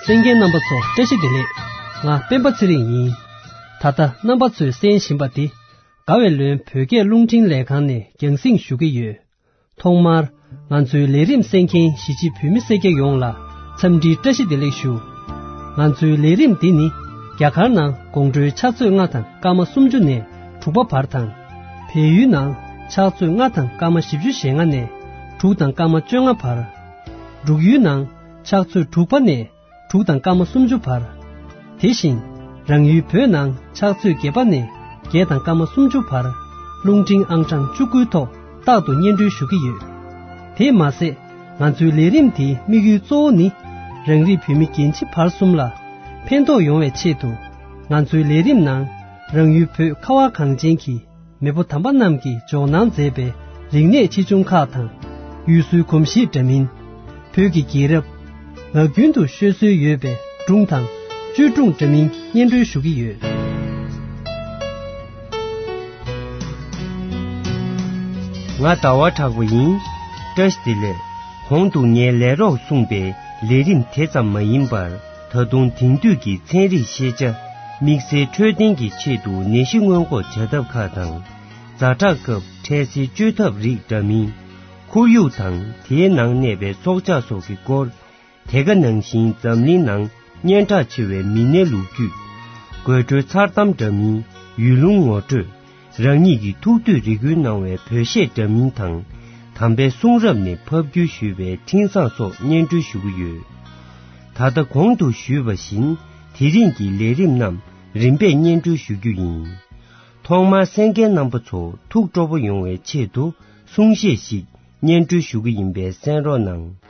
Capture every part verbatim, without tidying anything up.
གསན་མཁན་རྣམ་པ་ཚོ་བཀྲ་ཤིས་བདེ་ལེགས། ང་སྤེན་པ་ཚེ་རིང་ཡིན། ད་ལྟ་རྣམ་པ་ཚོས་གསན་བཞིན་པ་འདི་དགའ་བའི་ལོན་བོད་སྐད་རླུང་འཕྲིན་ལས་ཁང་ནས་རྒྱང་སྲིང་ཞུ་གི་ཡོད། ཐོག་མར་ང་ཚོའི་ལས་རིམ་གསན་མཁན་གཞིས་བྱེས་བོད་མི་སེར་སྐྱ་ཡོངས་ལ་འཚམས་འདྲིའི་བཀྲ་ཤིས་བདེ་ལེགས་ཞུ། ང་ཚོའི་ལས་རིམ་འདི་ནི་རྒྱ་གར་ནང་དགོང་དྲོའི་ཕྱག་ཚོད་ལྔ་དང་སྐར་མ་སུམ་ཅུ་ནས་དྲུག་པ་བར་དང་། བལ་ཡུལ་ནང་ཕྱག་ཚོད་ལྔ་དང་སྐར་མ་བཞི་བཅུ་ཞེ་ལྔ་ནས་དྲུག་དང་སྐར་མ་བཅོ་ལྔ་བར། འབྲུག་ཡུལ་ནང་ཕྱག་ཚོད་དྲུག་པ་ནས་དྲུག་དང་སྐར་མ་སུམ་ཅུ་བར། དེ་བཞིན་རང་ཡུལ་བོད་ནང་ཕྱག་ཚོད་བརྒྱད་པ་ནས་བརྒྱད་དང་སྐར་མ་སུམ་ཅུ་བར་རླུང་འཕྲིན་ཨང་གྲངས་བཅུ་དགུའི་ཐོག་རྟག་ཏུ་སྙན་སྒྲོན་ཞུ་གི་ཡོད། དེས་མ་ཟད་ང་ཚོའི་ལས་རིམ་དེའི་དམིགས་ཡུལ་གཙོ་བོ་ནི་རང་རིགས་བོད་མི་རྒན་བྱིས་བར་གསུམ་ལ་ཕན་ཐོགས་ཡོང་བའི་ཆེད་དུ་ང་ཚོའི་ལས་རིམ་ནང་རང་ཡུལ་བོད་ཁ་བ་གངས་ཅན་གྱི་མེས་པོ་དམ་པ་རྣམས་ཀྱིས་འཇོག་གནང་མཛད་པའི་རིག་གནས་ཆེ་ཆུང་ཁག་དང་། ཡུལ་སྲོལ་གོམས་གཤིས་འདྲ་མིན། བོད་ཀྱི་རྒྱལ་རབས། ངག་རྒྱུན་དུ་ཤོད་སྲོལ་ཡོད་པའི་སྒྲུང་དང་བཅོས་སྒྲུང་འདྲ་མིན་སྙན་སྒྲོན་ཞུ་གི་ཡོད། ང་ཟླ་བ་གྲགས་པ་ཡིན། བཀྲ་ཤིས་བདེ་ལེགས། གོང་དུ་ངས་ལས་རོགས་གསུངས་པའི་ལས་རིམ་དེ་ཙམ་མ་ཡིན་པར། ད་དུང་དེང་དུས་ཀྱི་ཚན་རིག་ཤེས་བྱ། དམིགས་བསལ་འཕྲོད་བསྟེན་གྱི་ཆེད་དུ་ནད་གཞི་སྔོན་འགོག་བྱ་ཐབས་ཁག་དང་། ཛ་དྲག་སྐབས་འཕྲལ་སེལ་བཅོས་ཐབས་རིགས་འདྲ་མིན། ཁོར་ཡུག་དང་དེའི་ནང་གནས་པའི་སྲོག་ཆགས་སོགས་ཀྱི་སྐོར། དེ་ག་ནང་བཞིན་འཛམ་གླིང་ནང་སྙན་གྲགས་ཆེ་བའི་མི་སྣའི་ལོ་རྒྱུས། དགོད་བྲོའི་མཚར་གཏམ་འདྲ་མིན། ཡུལ་ལུང་ངོ་སྤྲོད། རང་ཉིད་ཀྱི་ཐུགས་འདོད་རེ་སྐུལ་གནང་བའི་བོད་གཞས་འདྲ་མིན་དང་། དམ་པའི་གསུང་རབ་ནས་ཕབ་བསྒྱུར་ཞུས་པའི་འཕྲིན་བཟང་སོགས་སྙན་སྒྲོན་ཞུ་གི་ཡོད། ད་ལྟ་གོང་དུ་ཞུས་པ་བཞིན་དེ་རིང་གི་ལས་རིམ་རྣམས་རིམ་པས་སྙན་སྒྲོན་ཞུ་རྒྱུ་ཡིན། ཐོག་མར་གསན་མཁན་རྣམ་པ་ཚོ་ཐུགས་སྤྲོ་པོ་ཡོང་བའི་ཆེད་དུ་གསུང་བཤད་ཞིག་སྙན་སྒྲོན་ཞུ་གི་ཡིན་པས་གསན་རོགས་གནང་།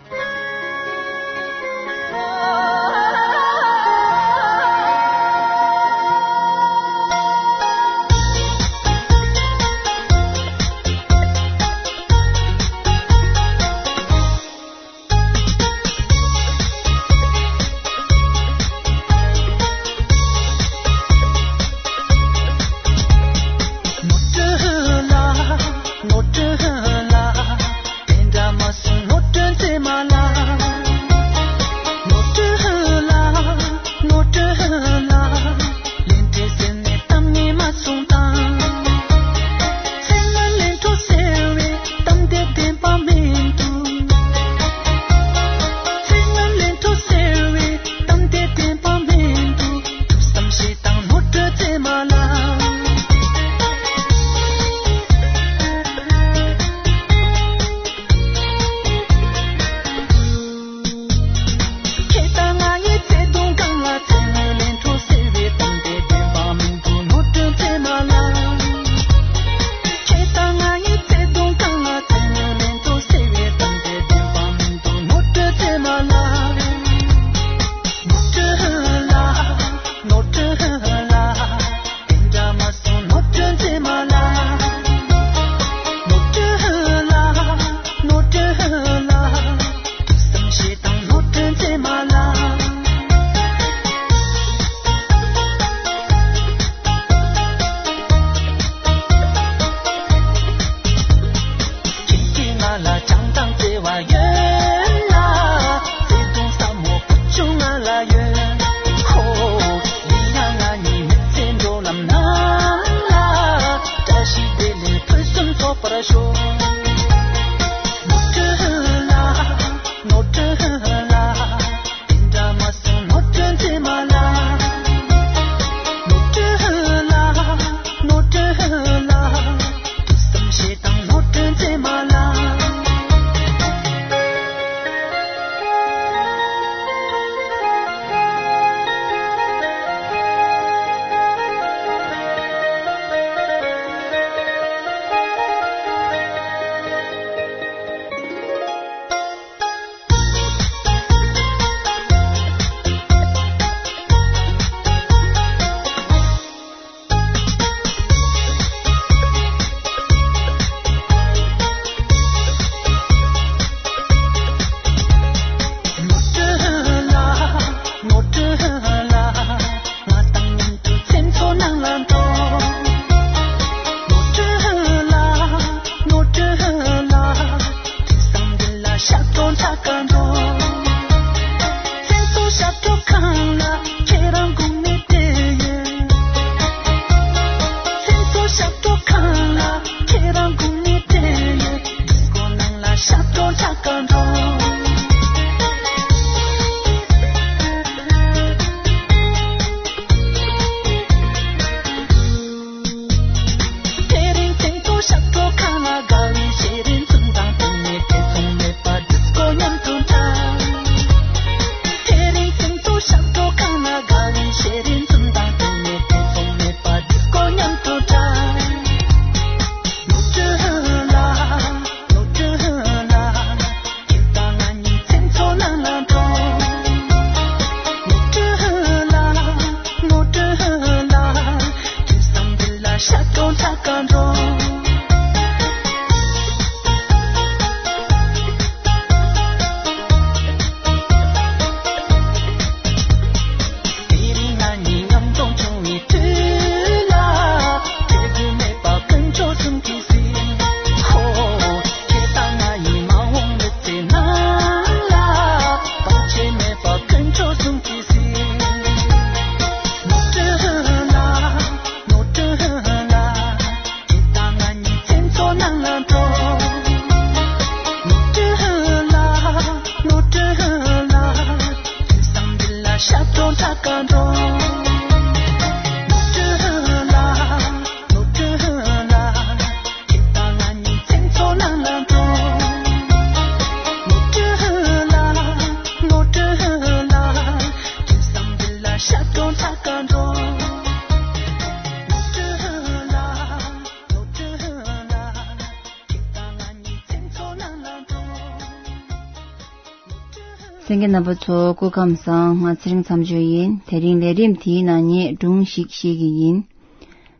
གསན་མཁན་རྣམ་པ་ཚོ་སྐུ་ཁམས་བཟང་། ང་ཚེ་རིང་མཚམས་གཅོད་ཡིན། དེ་རིང་ལས་རིམ་དེའི་ནང་ངས་སྒྲུང་ཞིག་བཤད་ཀྱི་ཡིན།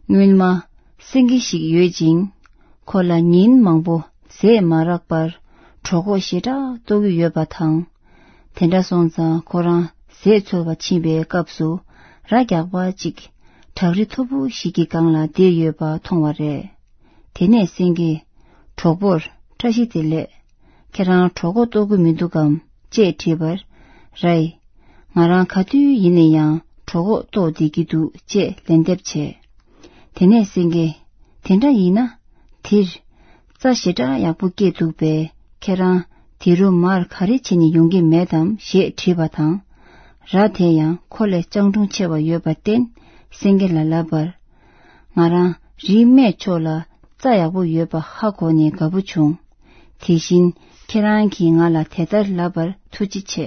སྔོན་མ་སེང་གེ་ཞིག་ཡོད་ཅིང་། ཁོ་ལ་ཉིན་མང་པོ་ཟས་མ་རག་པར་གྲོད་ཁོག་ཞེ་དྲག་ལྟོགས་ཀྱི་ཡོད་པ་དང་། དེ་འདྲ་སོང་ཙང་ཁོ་རང་ཟས་འཚོལ་བར་ཕྱིན་པའི་སྐབས་སུ་རྭ་རྒྱགས་པ་གཅིག་བྲག་རི་མཐོ་པོ་ཞིག་གི་སྒང་ལ་བསྡད་ཡོད་པ་མཐོང་བ་རེད། དེ་ནས་སེང་གེས་གྲོགས་པོར་བཀྲ་ཤིས་བདེ་ལེགས། ཁྱེད་རང་གྲོད་ཁོག་ལྟོགས་ཀྱི་མི་འདུག་གམ་ཅེས་དྲིས་པར། རྭས། ང་རང་ག་དུས་ཡིན་ན་ཡང་གྲོད་ཁོག་ལྟོགས་བསྡད་ཀྱི་འདུག་ཅེས་ལན་འདེབས་བྱས། དེ་ནས་སེང་གེས། དེ་འདྲ་ཡིན་ན། དེར། རྩྭ་ཞེ་དྲག་ཡག་པོ་སྐྱེས་འདུག་པས། ཁྱེད་རང་དེ་རུ་མར་ག་རེ་བྱས་ནས་ཡོང་གི་མེད་དམ་ཞེས་དྲིས་པ་དང་། རྭ་དེ་ཡང་ཁོ་ལས་སྤྱང་གྲུང་ཆེ་བ་ཡོད་པར་བརྟེན། སེང་གེ་ལ་ལབ་པར། ང་རང་རིའི་སྨད་ཕྱོགས་ལ་རྩྭ་ཡག་པོ་ཡོད་པ་ཧ་གོ་ནས་དགའ་པོ་བྱུང་། དེ་བཞིན་ཁྱེད་རང་གིས་ང་ལ་དེ་ལྟར་ལབ་པར་ཐུགས་རྗེ་ཆེ།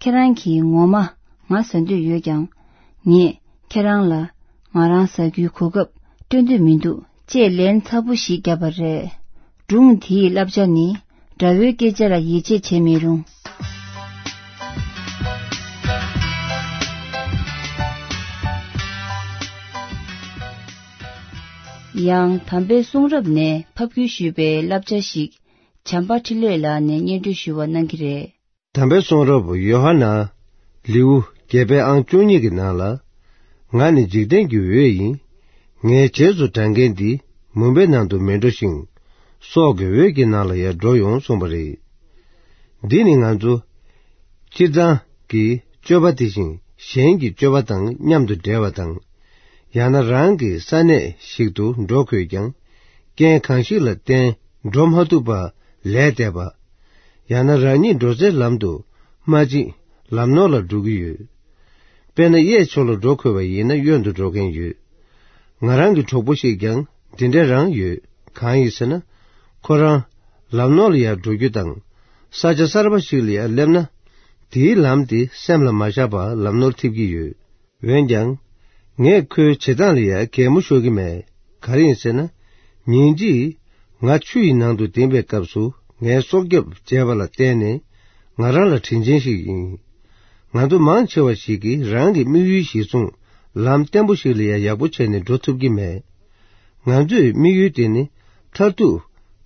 ཁྱེད་རང་གིས་ངོ་མ་ང་ཟ་འདོད་ཡོད་ཀྱང་། ངས་ཁྱེད་རང་ལ་ང་རང་ཟ་རྒྱུའི་གོ་སྐབས་སྤྲོད་འདོད་མི་འདུག་ཅེས་ལན་ཚ་པོ་ཞིག་བརྒྱབ་པ་རེད། སྒྲུང་དེའི་བསླབ་བྱ་ནི། དགྲ་བོའི་སྐད་ཆ་ལ་ཡིད་ཆེས་བྱེད་མི་རུང་། ཡང་དམ་པའི་གསུང་རབ་ནས་ཕབ་བསྒྱུར་ཞུས་པའི་བསླབ་བྱ་ཞིག་བྱམས་པ་འཕྲིན་ལས་ལགས་ནས་སྙན་སྒྲོན་ཞུ་བ་གནང་གི་རེད། དམ་པའི་གསུང་རབ་ཡོ་ཧ་ནན། ལེའུ་བརྒྱད་པའི་ཨང་བཅུ་གཉིས་ཀྱི་ནང་ལ། ང་ནི་འཇིག་རྟེན་གྱི་འོད་ཡིན། ངའི་རྗེས་སུ་འབྲང་མཁན་འདི་མུན་པའི་ནང་དུ་མི་འགྲོ་ཞིང་། སྲོག་གི་འོད་ཀྱི་ནང་ལ་ཡང་འགྲོ་ཡོང་གསུངས་པ་རེད། འདི་ནི་ང་ཚོ་སྤྱིར་བཏང་གི་སྤྱོད་པ་དེ་བཞིན་གཞན་གྱི་སྤྱོད་པ་དང་མཉམ་དུ་འབྲེལ་བ་དང་། ཡང་ན་རང་གི་ས་གནས་ཤིག་ཏུ་འགྲོ་དགོས་ཀྱང་། རྐྱེན་གང་ཞིག་ལ་བརྟེན་འགྲོ་མ་ཐུབ་པ་ལས་འདས་པ། ཡང་ན་རང་ཉིད་འགྲོ་སའི་ལམ་དུ་མ་ཕྱིན་ལམ་ནོར་ལ་འགྲོ་གི་ཡོད། དཔེར་ན་གཡས་ཕྱོགས་ལ་འགྲོ་དགོས་པ་ཡིན་ན་གཡོན་དུ་འགྲོ་མཁན་ཡོད། ང་རང་གི་གྲོགས་པོ་ཞིག་ཀྱང་འདི་འདྲ་རང་ཡོད། གང་ཡིན་ཟེར་ན། ཁོ་རང་ལམ་ནོར་ལ་ཡར་འགྲོ་རྒྱུ་དང་། ས་ཆ་གསར་པ་ཞིག་ལ་ཡར་སླེབས་ན། དེའི་ལམ་དེ་སེམས་ལ་མ་བཞག་པར་ལམ་ནོར་ཐེབས་ཀྱི་ཡོད། འོན་ཀྱང་། ངས་ཁོའི་བྱེད་སྟངས་ལ་ཡང་གད་མོ་ཤོར་གྱི་མེད། ག་རེ་ཡིན་ཟེར་ན། ཉིན་གཅིག་ང་ཆུ་ཡི་ནང་དུ་ལྡིང་པའི་སྐབས་སུ་ངའི་སྲོག་སྐྱོབ་བྱས་པ་ལ་བརྟེན་ནས་ང་རང་ལ་དྲིན་ཆེན་ཞིག་ཡིན། ང་ཚོ་མང་ཆེ་བ་ཞིག་གིས་རང་གི་དམིགས་ཡུལ་གཞིར་བཟུང་ལམ་བརྟན་པོ་ཞིག་ལ་ཡང་ཡག་པོ་བྱས་ནས་འགྲོ་ཐུབ་ཀྱི་མེད། ང་ཚོའི་དམིགས་ཡུལ་དེ་ནི་མཐར་ཐུག་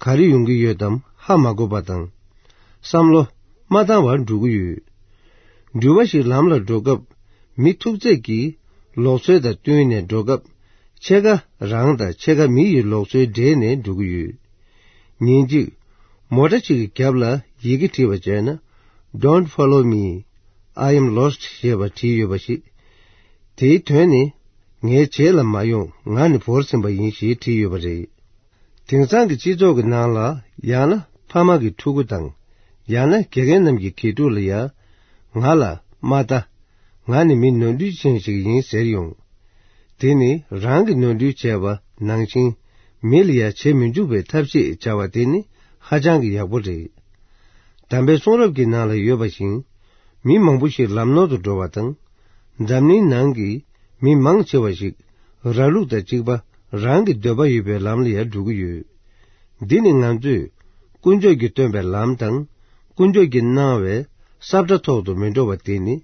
ག་རེ་ཡོང་གི་ཡོད་དམ་ཧ་མ་གོ་བ་དང་། བསམ་བློ་མ་བཏང་བར་འགྲོ་གི་ཡོད། འགྲུལ་པ་ཞིག་ལམ་ལ་འགྲོ་སྐབས་མི་ཐུག་ཚད་ཀྱིས་ལུགས་སྲོལ་དང་བསྟུན་ནས་འགྲོ་སྐབས་ཕྱེད་ཀ་རང་དང་ཕྱེད་ཀ་མི་ཡི་ལུགས་སྲོལ་འདྲེས་ནས་འགྲོ་གི་ཡོད། ཉིན་གཅིག་མོ་ཊ་ཞིག་གི་རྒྱབ་ལ་ཡི་གེ་བྲིས་པ་བྱས་ན། Don't follow me, I am lost ཞེས་པ་བྲིས་ཡོད་པ་ཞིག་དེའི་དོན་ནི། ངའི་རྗེས་ལ་མ་ཡོང་། ང་ནི་བོར་ཟིན་པ་ཡིན་ཞེས་བྲིས་ཡོད་པ་རེད། དེང་སང་གི་སྤྱི་ཚོགས་ཀྱི་ནང་ལ་ཡང་ན་ཕ་མ་གི་ཕྲུ་གུ་དང་། ཡང་ན་དགེ་རྒན་རྣམས་ཀྱི་དགེ་ཕྲུག་ལ་ཡང་། ང་ལ་མ་ལྟ། ང་ནི་མི་ནོར་འཁྲུལ་ཅན་ཞིག་ཡིན་ཟེར་ཡོང་། དེ་ནི་རང་གི་ནོར་འཁྲུལ་བྱས་པ་ནང་བཞིན་མི་ལ་ཡང་བྱེད་མི་འཇུག་པའི་ཐབས་ཤེས་བྱ་བ་དེ་ནི་ཧ་ཅང་གི་ཡག་པོ་རེད། དམ་པའི་གསུང་རབ་ཀྱི་ནང་ལ་ཡོད་པ་བཞིན། མི་མང་པོ་ཞིག་ལམ་ནོར་དུ་འགྲོ་བ་དང་། འཛམ་གླིང་ནང་གི་མི་མང་ཆེ་བ་ཞིག་ར་ལུག་དང་གཅིག་པ་རང་གི་འདོད་པ་ཡོད་པའི་ལམ་ལ་ཡང་འགྲོ་གི་ཡོད། འདི་ནི་ང་ཚོས་དཀོན་མཆོག་གིས་སྟོན་པའི་ལམ་དང་། དཀོན་མཆོག་གིས་གནང་བའི་ས་བཀྲ་ཐོག་ཏུ་མི་འགྲོ་བ་དེ་ནི་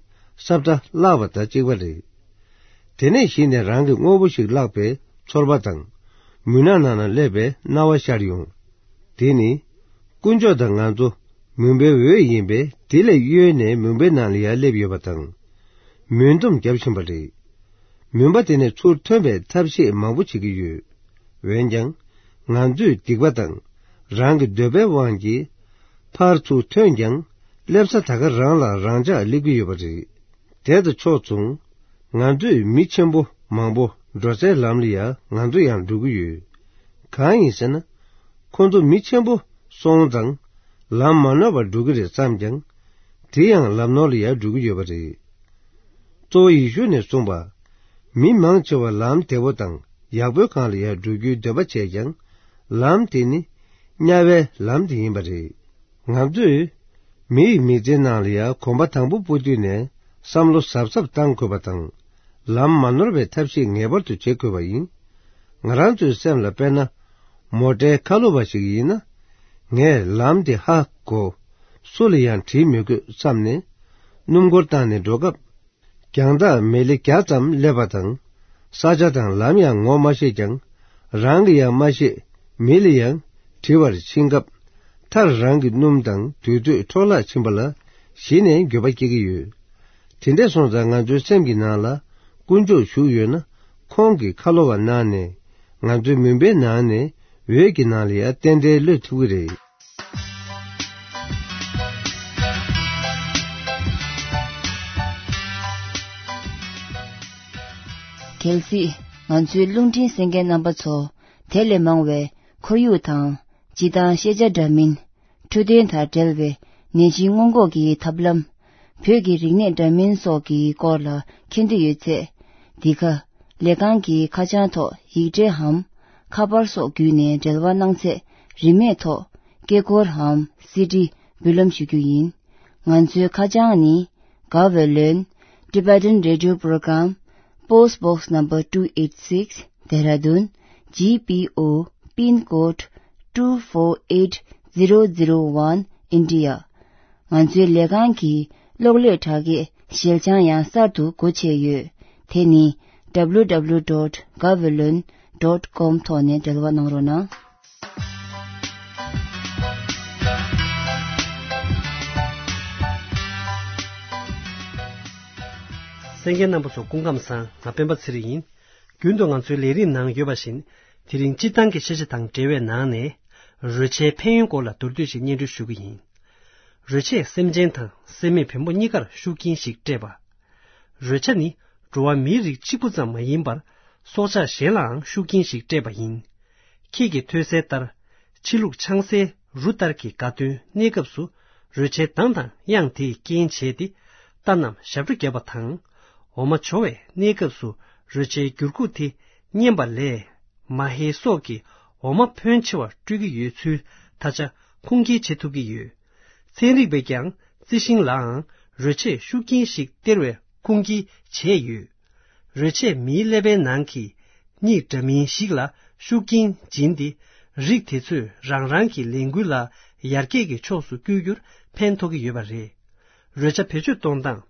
ས་བཀྲ་བརླག་པ་དང་གཅིག་པ་རེད། དེ་ནས་གཞི་ནས་རང་གི་དངོས་པོ་ཞིག་བརླག་པའི་ཚོར་བ་དང་། མུན་ནག་ནང་ན་སླེབས་པའི་སྣང་བ་ཤར་ཡོང་། དེ་ནི། དཀོན་མཆོག་དང་ང་ཚོ་མུན་པའི་འོད་ཡིན་པས། དེ་ལས་གཡོལ་ནས་མུན་པའི་ནང་ལ་ཡར་སླེབས་ཡོད་པ་དང་། མུན་འདོམས་བརྒྱབ་བཞིན་པ་རེད། མུན་པ་དེ་ནས་ཚུར་ཐོན་པའི་ཐབས་ཤེས་མང་པོ་བྱེད་ཀྱི་ཡོད། འོན་ཀྱང་། ང་ཚོས་སྡིག་པ་དང་། རང་གི་འདོད་པའི་དབང་གིས། ཕར་ཚུར་ཐོན་ཀྱང་། སླེབས་ས་ད་ག་རང་ལ་རང་འཇགས་སླེབས་ཀྱི་ཡོད་པ་རེད། དེ་དང་ཕྱོགས་མཚུངས། ང་ཚོས་མི་ཆེན་པོ་མང་པོ་འགྲོ་སའི་ལམ་ལ་ཡང་ང་ཚོ་ཡང་འགྲོ་གི་ཡོད། གང་ཡིན་ཟེར་ན། ཁོ་ཚོ་མི་ཆེན་པོ་སོང་ཙང་ལམ་མ་ནོར་བར་འགྲོ་གི་རེད་བསམ་ཀྱང་། དེ་ཡང་ལམ་ནོར་ལ་ཡང་འགྲོ་གི་ཡོད་པ་རེད། གཙོ་བོ་ཡེ་ཤུ་ནས་གསུངས་པ། མི་མང་ཆེ་བ་ལམ་བདེ་པོ་དང་ཡག་པོའི་སྒང་ལ་ཡང་འགྲོ་རྒྱུའི་འདོད་པ་བྱས་ཀྱང་། ལམ་དེ་ནི་དམྱལ་བའི་ལམ་དེ་ཡིན་པ་རེད། ང་ཚོས་མི་ཡི་མི་ཚེའི་ནང་ལ་ཡང་གོམ་པ་དང་པོ་སྤོ་དུས་ནས་བསམ་བློ་གཟབ་གཟབ་བཏང་དགོས་པ་དང་། ལམ་མ་ནོར་བའི་ཐབས་ཤེས་ངེས་པར་དུ་བྱེད་དགོས་པ་ཡིན། ང་རང་ཚོའི་སེམས་ལ་དཔེར་ན། མོ་ཊའི་ཁ་ལོ་བ་ཞིག་ཡིན་ན། ངས་ལམ་དེ་ཧ་གོ། སུ་ལ་ཡང་དྲིས་མི་དགོས་བསམ་ནས། སྣུམ་འཁོར་བཏང་ནས་འགྲོ་སྐབས། རྒྱང་ཐག་མི་ལེ་བརྒྱ་ཙམ་སླེབས་པ་དང་། ས་ཆ་དང་ལམ་ཡང་ངོ་མ་ཤེས་ཀྱང་། རང་གིས་ཡང་མ་ཤེས། མི་ལ་ཡང་དྲི་བར་ཕྱིན་སྐབས། མཐར་རང་གི་སྣུམ་དང་དུས་ཚོད་འཕྲོ་བརླག་ཕྱིན་པ་ལ་གཞི་ནས་འགྱོད་པ་སྐྱེ་གི་ཡོད། དེ་འདྲ་སོང་ཙང་ང་ཚོའི་སེམས་ཀྱི་ནང་ལ་དཀོན་མཆོག་བཞུགས་ཡོད་ན། ཁོང་གིས་ཁ་ལོ་བ་གནང་ནས། ང་ཚོའི་མུན་པའི་ནང་ནས་འོད་ཀྱི་ནང་ལ་ཡང་རྟེན་འབྲེལ་གློད་ཐུབ་ཀྱི་རེད། གལ་སྲིད་ང་ཚོའི་རླུང་འཕྲིན་གསན་མཁན་རྣམ་པ་ཚོ། དེ་ལས་མང་བའི་ཁོར་ཡུག་དང་། སྤྱི་དང་ཤེས་བྱ་འདྲ་མིན། འཕྲོད་བསྟེན་དང་འབྲེལ་བའི་ནད་གཞི་སྔོན་འགོག་གི་ཐབས་ལམ། བོད་ཀྱི་རིག་གནས་འདྲ་མིན་སོགས་ཀྱི་སྐོར་ལ་མཁྱེན་འདོད་ཡོད་ཚེ། འདི་ག་ལས་ཁང་གི་ཁ་བྱང་ཐོག་ཡིག་འབྲེལ་འམ། ཁ་པར་སོགས་བརྒྱུད་ནས་འབྲེལ་བ་གནང་ཚེ། རིན་མེད་ཐོག་སྐད་འཁོར་འམ། སི་ཌི་འབུལ་ལམ་ཞུ་རྒྱུ་ཡིན། ང་ཚོའི་ཁ་བྱང་ནི། Gaweylon Tibetan Radio Program, Post Box Number two eight six, Dehradun, G P O, pin code two four eight zero zero one, India. ང་ཚོའི་ལས་ཁང་གི་གློག་ཀླད་དྲ་རྒྱའི་ཞལ་བྱང་ཡང་གསར་དུ་སྒོ་ཕྱེ་ཡོད། དེ་ནི། W W W dot gaweylon dot com ཐོག་ནས་འབྲེལ་བ་གནང་རོགས་གནང་། གསན་མཁན་རྣམ་པ་ཚོ་སྐུ་ཁམས་བཟང་། ང་སྤེན་པ་ཚེ་རིང་ཡིན། རྒྱུན་དུ་ང་ཚོའི་ལས་རིམ་ནང་ཡོད་པ་བཞིན། དེ་རིང་སྤྱིར་བཏང་གི་ཤེས་བྱ་དང་འབྲེལ་བའི་ནང་ནས། རོལ་ཆའི་ཕན་ཡོན་སྐོར་ལ་མདོར་བསྡུས་ཤིག་སྙན་སྒྲོན་ཞུ་གི་ཡིན། རོལ་ཆས་སེམས་ཅན་དང་སེམས་མེད་བེམ་པོ་གཉིས་ཀར་ཤུགས་རྐྱེན་ཞིག་སྤྲད་པ། རོལ་ཆ་ནི་འགྲོ་བ་མིའི་རིགས་གཅིག་པུ་ཙམ་མ་ཡིན་པར། སྲོག་ཆགས་གཞན་ལའང་ཤུགས་རྐྱེན་ཞིག་སྤྲད་པ་ཡིན། ཁྱེད་ཀྱིས་ཐོས་གསལ་ལྟར། ཕྱི་ལུགས་ཆང་སའི་རུ་ལྟར་གྱི་དགའ་སྟོན་གནས་སྐབས་སུ། རོལ་ཆའི་གདངས་དང་དབྱངས་དེས་རྐྱེན་བྱས་ཏེ། རྟ་རྣམས་ཞབས་བྲོ་བརྒྱབ་པ་དང་། འོ་མ་བྱོ་བའི་གནས་སྐབས་སུ། རོལ་ཆའི་འགྱུར་ཁུག་དེ་སྙན་པ་ལས། མ་ཧེ་སོགས་ཀྱིས་འོ་མ་ཕོན་ཆེ་བ་སྤྲོད་ཀྱི་ཡོད་ཚུལ་ད་ཆ་ཁུངས་སྐྱེལ་བྱེད་ཐུབ་ཀྱི་ཡོད། ཚན་རིག་པས་ཀྱང་རྩི་ཤིང་ལའང་རོལ་ཆས་ཤུགས་རྐྱེན་ཞིག་སྟེར་བའི་ཁུངས་སྐྱེལ་བྱས་ཡོད། རོལ་ཆས་མིའི་ཀླད་པའི་ནང་གི་གཉིད་འདྲ་མིན་ཞིག་ལ་ཤུགས་རྐྱེན་སྦྱིན་ཏེ། རིགས་དེ་ཚོས་རང་རང་གི་ལས་འགུལ་ལ་ཡར་རྒྱས་ཀྱི་ཕྱོགས་སུ་བསྐྱོད་རྒྱུར་ཕན་ཐོགས་ཀྱི་ཡོད་པ་རེད། རོལ་ཆ་བེད་སྤྱོད་གཏོང་སྟངས།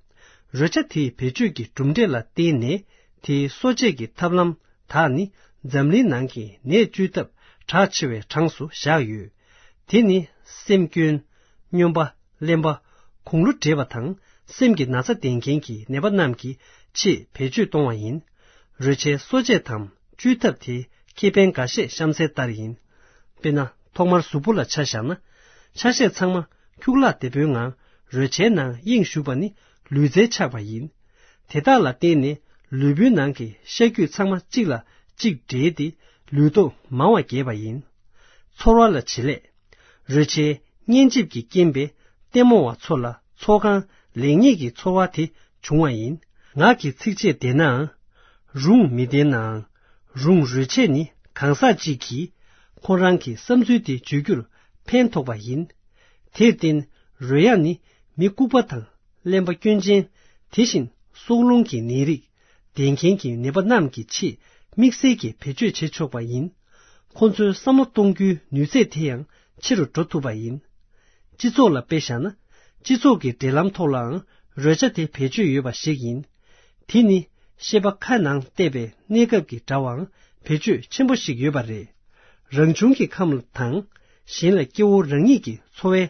རོལ་ཆ་དེའི་བེད་སྤྱོད་ཀྱི་གྲུབ་འབྲས་ལ་བརྟེན་ནས། དེའི་གསོ་དཔྱད་ཀྱི་ཐབས་ལམ་དག་ནི་འཛམ་གླིང་ནང་གི་ནད་བཅོས་ཐབས་གྲགས་ཆེ་བའི་གྲངས་སུ་བཞག་ཡོད། དེ་ནི་སེམས་སྐྱོན། སྨྱོན་པ། གླེན་པ། དགུང་ལོ་བགྲེས་པ་དང་སེམས་ཀྱི་ན་ཚ་ལྡན་མཁན་གྱི་ནད་པ་རྣམས་ཀྱི་ཆེད་བེད་སྤྱོད་གཏོང་བ་ཡིན། རོལ་ཆའི་གསོ་དཔྱད་དམ་བཅོས་ཐབས་དེའི་ཁེ་ཕན་འགའ་ཤས་གཤམ་གསལ་ལྟར་ཡིན། དཔེར་ན། ཐོག་མར་གཟུགས་པོ་ལ་ཆ་བཞག་ན། ཆ་ཤས་ཚང་མ་ཁྱུག་ལག་དེད་པོའི་ངང་རོལ་ཆའི་ནང་གཡེང་ཞུགས་པ་ནི་ལུས་རྩལ་ཆགས་པ་ཡིན། དེ་དག་ལ་བརྟེན་ནས་ལུས་པོའི་ནང་གི་ཤ་རྒྱུས་ཚང་མ་གཅིག་ལ་གཅིག་འདྲེས་ཏེ་ལུས་སྟོབས་མང་བ་རྒྱས་པ་ཡིན། ཚོར་བ་ལ་བྱེད་ལས། རོལ་ཆའི་སྙན་འཇེབས་ཀྱི་རྐྱེན་པས་ལྟད་མོ་བ་ཚོ་ལ་ཚོགས་ཁང་ལེགས་ཉེས་ཀྱི་ཚོར་བ་དེ་བྱུང་བ་ཡིན། ངག་གི་ཚིགས་བཅད་བདེན་ནའང་། རུང་མི་བདེན་ནའང་། རུང་རོལ་ཆས་ནི་གང་ཟག་གཅིག་གིས་ཁོ་རང་གི་བསམ་ཚུལ་དེ་བརྗོད་རྒྱུར་ཕན་ཐོགས་པ་ཡིན། དེར་བརྟེན་རོལ་དབྱངས་ནི་མི་ལྐུགས་པ་དང་གླེན་པ་སྐྱོན་ཅན། དེ་བཞིན་སྲོག་རླུང་གི་ནད་རིགས་ལྡན་མཁན་གྱི་ནད་པ་རྣམས་ཀྱི་ཆེད་དམིགས་བསལ་གྱིས་བེད་སྤྱོད་བྱེད་ཆོག་པ་ཡིན། ཁོ་ཚོའི་བསམ་བློ་གཏོང་རྒྱུའི་ནུས་ཚད་དེ་ཡང་ཆེ་རུ་འགྲོ་ཐུབ་པ་ཡིན། སྤྱི་ཚོགས་ལ་དཔེ་བཞག་ན། སྤྱི་ཚོགས་ཀྱི་འབྲེལ་ལམ་ཐོག་ལའང་རོལ་ཆ་དེ་བེད་སྤྱོད་ཡོད་པ་ཞིག་ཡིན། དེ་ནི་ཤེས་པ་ཁ་ནང་གཏད་པའི་གནས་སྐབས་ཀྱི་དྲ་བའང་བེད་སྤྱོད་ཆེན་པོ་ཞིག་ཡོད་པ་རེད། རང་བྱུང་གི་ཁམས་དང་། གཞན་ལ་སྐྱེ་བོ་རང་ཉིད་ཀྱི་འཚོ་བའི་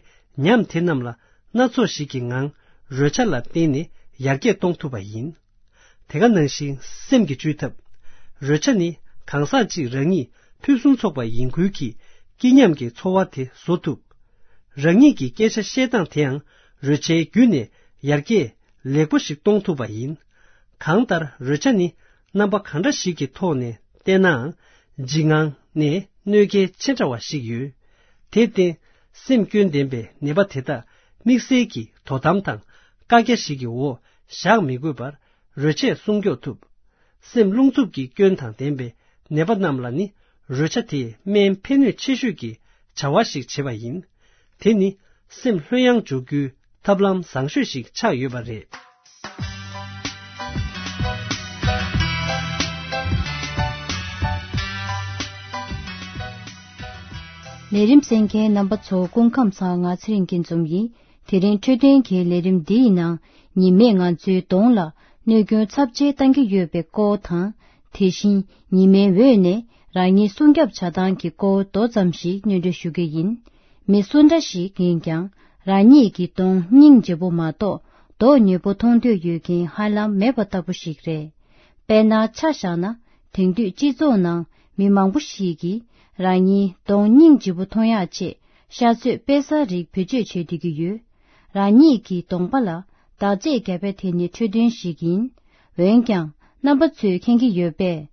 ཉམས་དེ་རྣམས་ལ་སྣ་ཚོགས་ཤིག་གི་ངང་རོལ་ཆ་ལ་བརྟེན་ནས་ཡར་རྒྱས་གཏོང་ཐུབ་པ་ཡིན། དེ་ག་ནང་བཞིན་སེམས་ཀྱི་བཅོས་ཐབས། རོལ་ཆ་ནི་གང་ཟག་གཅིག་རང་ཉིད་ཕུན་སུམ་ཚོགས་པ་ཡིན་ཁུལ་གྱིས་སྐྱིད་ཉམས་ཀྱི་ཚོར་བ་དེ་བཟོ་ཐུབ། རང་ཉིད་ཀྱི་སྐད་ཆ་བཤད་སྟངས་དེའང་རོལ་ཆའི་བརྒྱུད་ནས་ཡར་རྒྱས་ལེགས་པོ་ཞིག་གཏོང་ཐུབ་པ་ཡིན། གང་ལྟར་རོལ་ཆ་ནི་རྣམ་པ་གང་འདྲ་ཞིག་གི་ཐོག་ནས་བལྟས་ནའང་། འཇིགས་དངངས་ནས་གནོད་འགེལ་ཆེ་དྲགས་པ་ཞིག་ཡོད། དེར་བརྟེན་སེམས་སྐྱོན་ལྡན་པའི་ནད་པ་དེ་དག་དམིགས་བསལ་གྱི་དོ་དམ་དང་བཀའ་རྒྱ་ཞིག་གི་འོག་བཞག་མི་དགོས་པར་རོལ་ཆས་སྲུང་སྐྱོབ་ཐུབ། སེམས་རླུང་འཚུབ་ཀྱི་སྐྱོན་དང་ལྡན་པའི་ནད་པ་རྣམས་ལ་ནི་རོལ་ཆ་དེས་སྨན་ཕན་ནུས་ཆེ་ཤོས་ཀྱི་བྱ་བ་ཞིག་བྱེད་པ་ཡིན། དེ་ནི་སེམས་ལྷོད་ཡངས་འཇོག་རྒྱུའི་ཐབས་ལམ་བཟང་ཤོས་ཤིག་ཆགས་ཡོད་པ་རེད། ལས་རིམ་གསན་མཁན་རྣམ་པ་ཚོ་སྐུ་ཁམས་བཟང་། ང་ཚེ་རིང་སྐྱིད་འཛོམས་ཡིན། དེ་རིང་འཕྲོད་བསྟེན་གྱི་ལས་རིམ་འདིའི་ནང་ཉི་མས་ང་ཚོའི་གདོང་ལ་གནོད་སྐྱོན་ཚབས་ཆེ་བཏང་གི་ཡོད་པའི་སྐོར་དང་། དེ་བཞིན་ཉི་མའི་འོད་ནས་རང་ཉིད་སྲུང་སྐྱོབ་བྱ་སྟངས་ཀྱི་སྐོར་མདོ་ཙམ་ཞིག་སྙན་སྒྲོན་ཞུ་རྒྱུ་ཡིན། མི་སུ་འདྲ་ཞིག་ཡིན་ཀྱང་། རང་ཉིད་ཀྱི་གདོང་སྙིང་རྗེ་པོ་མ་གཏོགས་མདོག་ཉེས་པོ་མཐོང་འདོད་ཡོད་མཁན་ཧ་ལམ་མེད་པ་ལྟ་བུ་ཞིག་རེད། དཔེར་ན་ཆ་བཞག་ན། དེང་དུས་སྤྱི་ཚོགས་ནང་མི་མང་པོ་ཞིག་གིས་རང་ཉིད་གདོང་སྙིང་རྗེ་པོ་མཐོང་ཡག་ཆེད་ཤ་ཚོད་དཔེ་ཟ་རིགས་བེད་སྤྱོད་བྱེད་བསྡད་ཀྱི་ཡོད། རང་ཉིད་ཀྱི་གདོང་པ་ལ་འདག་རྫས་བརྒྱབ་པ་དེ་ནི་འཕྲོད་བསྟེན་ཞིག་ཡིན། འོན་ཀྱང་རྣམ་པ་ཚོས་མཁྱེན་གྱི་ཡོད་པས།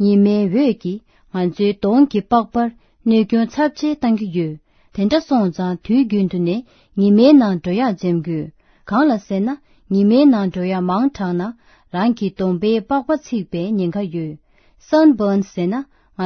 ཉི་མའི་འོད་ཀྱིས་ང་ཚོའི་གདོང་གི་པགས་པར་གནོད་སྐྱོན་ཚབས་ཆེ་བཏང་གི་ཡོད། དེ་འདྲ་སོང་ཙང་དུས་རྒྱུན་དུ་ནས་ཉི་མའི་ནང་འགྲོ་ཡག་འཛེམ་དགོས། གང་ལ་ཟེར་ན། ཉི་མའི་ནང་འགྲོ་ཡག་མང་དྲགས་ན། རང་གི་གདོང་པའི་པགས་པ་ཚིག་པའི་ཉེན་ཁ་ཡོད། Sunburn ཟེར་ན།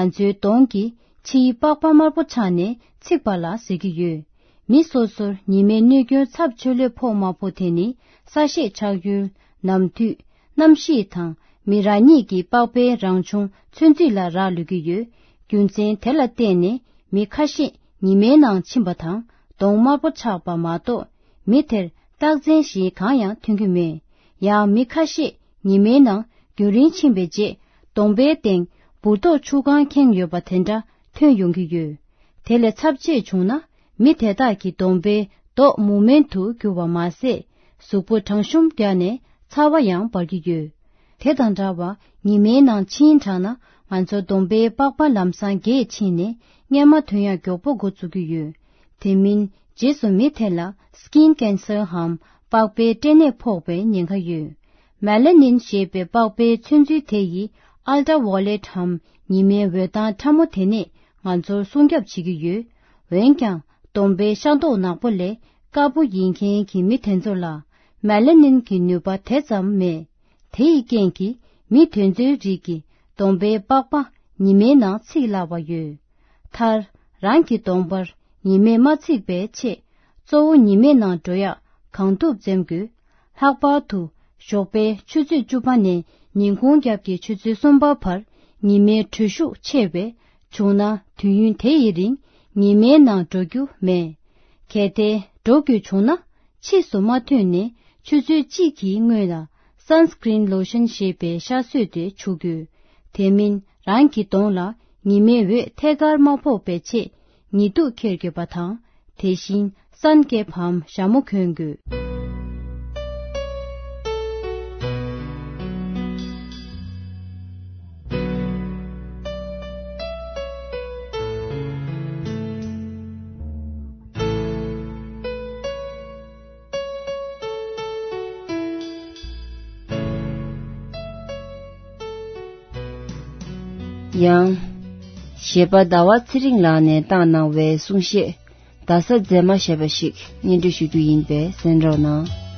ང་ཚོའི་གདོང་གི་ཕྱིའི་པགས་པ་དམར་པོ་ཆགས་ནས་ཚིག་པ་ལ་ཟེར་གྱི་ཡོད། མི་སོ་སོར་ཉི་མའི་གནོད་སྐྱོན་ཚབས་ཆེ་ལོས་ཕོག་མ་ཕོག་དེ་ནི་ས་གཤིས་ཆགས་ཡུལ། ནམ་དུས། གནམ་གཤིས་དང་མི་རང་ཉིད་ཀྱི་པགས་པའི་རང་བྱུང་ཚོད་འཛིན་ལ་རག་ལུས་ཀྱི་ཡོད། རྒྱུ་མཚན་དེ་ལ་བརྟེན་ནས་མི་ཁ་ཤས་ཉི་མའི་ནང་ཕྱིན་པ་དང་གདོང་དམར་པོ་ཆགས་པ་མ་གཏོགས། མི་དེར་རྟགས་མཚན་གཞན་གང་ཡང་ཐོན་གྱི་མེད། ཡང་མི་ཁ་ཤས་ཉི་མའི་ནང་རྒྱུན་རིང་ཕྱིན་པའི་རྗེས་གདོང་པའི་སྟེང་འབུར་ཏོག་ཆུ་གང་ཁེངས་ཡོད་པ་དེ་འདྲ་ཐོན་ཡོང་གི་ཡོད། དེ་ལས་ཚབས་ཆེ་བྱུང་ན། མི་དེ་དག་གི་གདོང་པའི་མདོག་མུ་མེན་དུ་གྱུར་བ་མ་ཟད། གཟུགས་པོ་གྲང་ཤུམ་རྒྱག་ནས་ཚ་བ་ཡང་འབར་གྱི་ཡོད། དེ་དང་འདྲ་བར་ཉི་མའི་ནང་ཕྱིན་དྲགས་ན། ང་ཚོ་གདོང་པའི་པགས་པ་ལམ་སང་རྒས་ཕྱིན་ནས་མངལ་མ་ཐོན་ཡག་མགྱོགས་པོ་འགོ་བཙུགས་ཀྱི་ཡོད། དེ་མིན་རྗེས་སུ་མི་དེ་ལ་skin cancer འམ་པགས་པའི་སྐྲན་ནད་ཕོག་པའི་ཉེན་ཁ་ཡོད། Melanin ཞེས་པའི་པགས་པའི་ཚོད་འཛིན་དེ་ཡིས་ultraviolet འམ་ཉི་མའི་འོད་མདངས་ཕྲ་མོ་དེ་ནས་ང་ཚོར་སྲུང་སྐྱོབ་བྱེད་ཀྱི་ཡོད། འོན་ཀྱང་གདོང་པའི་ཤ་མདོག་ནག་པོ་ལས་དཀར་པོ་ཡིན་མཁན་གྱི་མི་དེ་ཚོ་ལ་melanin གྱི་ནུས་པ་དེ་ཙམ་མེད། དེ་ཡི་རྐྱེན་གྱིས་མི་དེ་ཚོའི་རིགས་ཀྱི་གདོང་པའི་པགས་པ་ཉི་མའི་ནང་ཚིག་སླ་བ་ཡོད། མཐར། རང་གི་གདོང་པར་ཉི་མས་མ་ཚིག་པའི་ཆེད། གཙོ་བོ་ཉི་མའི་ནང་འགྲོ་ཡག་གང་ཐུབ་འཛེམ་དགོས། ལྷག་པར་དུ་ཞོགས་པའི་ཆུ་ཚོད་བཅུ་པ་ནས་ཉིན་གུང་རྒྱབ་ཀྱི་ཆུ་ཚོད་གསུམ་པ་བར་ཉི་མའི་དྲོད་ཤུགས་ཆེ་བས། བྱུང་ན་དུས་ཡུན་དེ་ཡི་རིང་ཉི་མའི་ནང་འགྲོ་རྒྱུ་མེད། གལ་ཏེ་འགྲོ་དགོས་བྱུང་ན། ཕྱིས་སུ་མ་ཐོན་ནས་ཆུ་ཚོད་གཅིག་གི་སྔོན་ལ་sunscreen lotion ཞེས་པའི་ཤ་གསོས་ཏེ་བྱུག་དགོས། དེ་མིན་རང་གི་གདོང་ལ་ཉི་མའི་འོད་ཐད་ཀར་མ་ཕོག་པའི་ཆེད་ཉི་གདུགས་འཁྱེར་དགོས་པ་དང་། དེ་བཞིན་sun cap འམ་ཞྭ་མོ་གོན་དགོས། ཡང་། གཞས་པ་ཟླ་བ་ཚེ་རིང་ལགས་ནས་བཏང་གནང་བའི་གསུང་བཤད། རྡ་ས་མཛེས་མ་ཞེས་པ་ཞིག་སྙན་སྒྲོན་ཞུ་རྒྱུ་ཡིན་པས་གསན་རོགས་གནང་།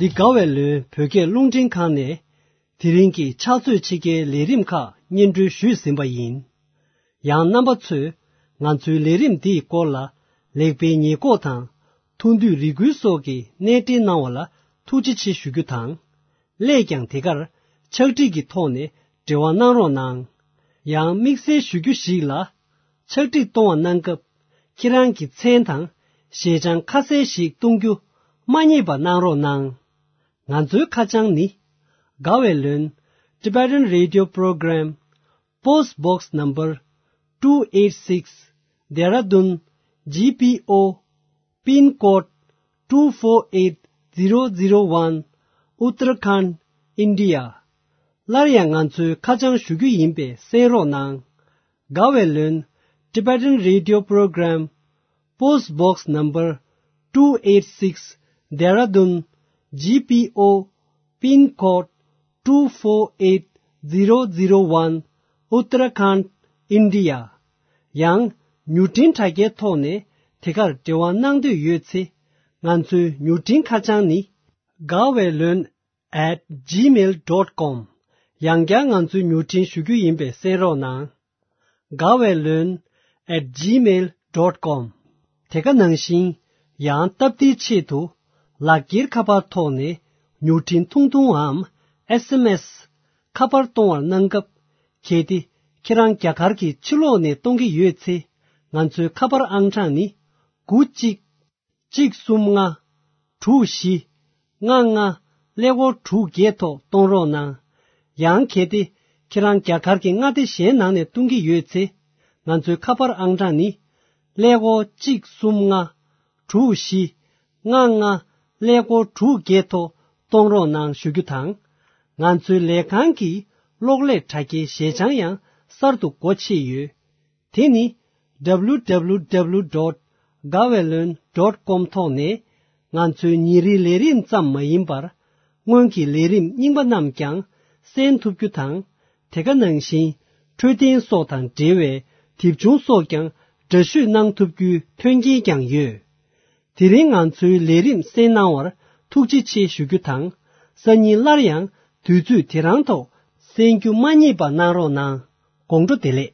འདི་དགའ་བའི་ལོན་བོད་སྐད་རླུང་འཕྲིན་ཁང་ནས་དེ་རིང་གི་ཕྱག་ཚོད་ཕྱེད་ཀའི་ལས་རིམ་ཁག་སྙན་སྒྲོན་ཞུས་ཟིན་པ་ཡིན། ཡང་རྣམ་པ་ཚོས་ང་ཚོའི་ལས་རིམ་འདིའི་སྐོར་ལ་ལེགས་སྤེལ་ཉེས་འགོག་དང་ཐུགས་འདོད་རེ་སྐུལ་སོགས་ཀྱི་གནས་འབྲེལ་གནང་བ་ལ་ཐུགས་རྗེ་ཆེ་ཞུ་རྒྱུ་དང་། སླད་ཀྱང་དེ་གར་ཕྱག་བྲིས་ཀྱི་ཐོག་ནས་འབྲེལ་བ་གནང་རོགས་གནང་། ཡང་དམིགས་བསལ་ཞུ་རྒྱུ་ཞིག་ལ། ཕྱག་བྲིས་གཏོང་བ་གནང་སྐབས་ཁྱེད་རང་གི་མཚན་དང་ཞལ་བྱང་ཁ་གསལ་ཞིག་གཏོང་རྒྱུ་མ་བསྙེལ་བ་གནང་རོགས་གནང་། ང་ཚོའི་ཁ་བྱང་ནི། དགའ་བའི་ལོན། Tibetan Radio Program, Post Box Number two eight six, Dehradun, G P O, Pin Code two four eight zero zero one, Uttarakhand, India. སླར་ཡང་ང་ཚོའི་ཁ་བྱང་ཞུ་རྒྱུ་ཡིན་པས་གསན་རོགས་གནང་། དགའ་བའི་ལོན། Tibetan Radio Program, Post Box Number two eight six, Dehradun, G P O, Pin Code two four eight zero zero one, Uttarakhand, India. ཡང་མྱུར་འཕྲིན་དྲ་རྒྱའི་ཐོག་ནས་དེ་གར་འབྲེལ་བ་གནང་འདོད་ཡོད་ཚེ། ང་ཚོའི་མྱུར་འཕྲིན་ཁ་བྱང་ནི། དགའ་བའི་ལོན། at gmail dot com། ཡང་བསྐྱར་ང་ཚོའི་མྱུར་འཕྲིན་ཞུ་རྒྱུ་ཡིན་པས་གསན་རོགས་གནང་། དགའ་བའི་ལོན། at gmail dot com། དེ་ག་ནང་བཞིན། ཡང་སྟབས་བདེའི་ཆེད་དུ། ལག་འཁྱེར་ཁ་པར་ཐོག་ནས་མྱུར་འཕྲིན་ཐུང་ཐུང་འམ། S M S། ཁ་པར་གཏོང་བར་གནང་སྐབས། གལ་ཏེ་ཁྱེད་རང་རྒྱ་གར་གྱི་ཕྱི་ལོགས་ནས་གཏོང་གི་ཡོད་ཚེ། ང་ཚོའི་ཁ་པར་ཨང་གྲངས་ནི། དགུ་གཅིག་གཅིག་གསུམ་ལྔ། དྲུག་བཞི། ལྔ་ལྔ། ཀླད་ཀོར་དྲུག་བརྒྱད་ཐོག་གཏོང་རོགས་གནང་། ཡང་གལ་ཏེ་ཁྱེད་རང་རྒྱ་གར་གྱི་མངའ་སྡེ་གཞན་ནང་ནས་གཏོང་གི་ཡོད་ཚེ། ང་ཚོའི་ཁ་པར་ཨང་གྲངས་ནི། ཀླད་ཀོར་གཅིག་གསུམ་ལྔ། དྲུག་བཞི། ལྔ་ལྔ། ཀླད་ཀོར་དྲུག་བརྒྱད་ཐོག་གཏོང་རོགས་གནང་ཞུ་རྒྱུ་དང་། ང་ཚོའི་ལས་ཁང་གི་གློག་ཀླད་དྲ་རྒྱའི་ཞལ་བྱང་ཡང་གསར་དུ་སྒོ་ཕྱེ་ཡོད། དེ་ནི། W W W dot gaweylon dot com ཐོག་ནས། ང་ཚོའི་ཉིན་རེའི་ལས་རིམ་ཙམ་མ་ཡིན་པར། སྔོན་གྱི་ལས་རིམ་རྙིང་པ་རྣམས་ཀྱང་གསན་ཐུབ་རྒྱུ་དང་། དེ་ག་ནང་བཞིན། འཕྲོད་བསྟེན་སོགས་དང་འབྲེལ་བའི་དེབ་ཆུང་སོགས་ཀྱང་འདྲ་བཤུས་གནང་ཐུབ་རྒྱུའི་མཐུན་རྐྱེན་ཀྱང་ཡོད། དེ་རིང་ང་ཚོའི་ལས་རིམ་གསན་གནང་བར་ཐུགས་རྗེ་ཆེ་ཞུ་རྒྱུ་དང་། སང་ཉིན་སླར་ཡང་དུས་ཚོད་དེ་རང་ཐོག་གསན་རྒྱུ་མ་བསྙེལ་བ་གནང་རོགས་གནང་། དགོང་དྲོ་བདེ་ལེགས།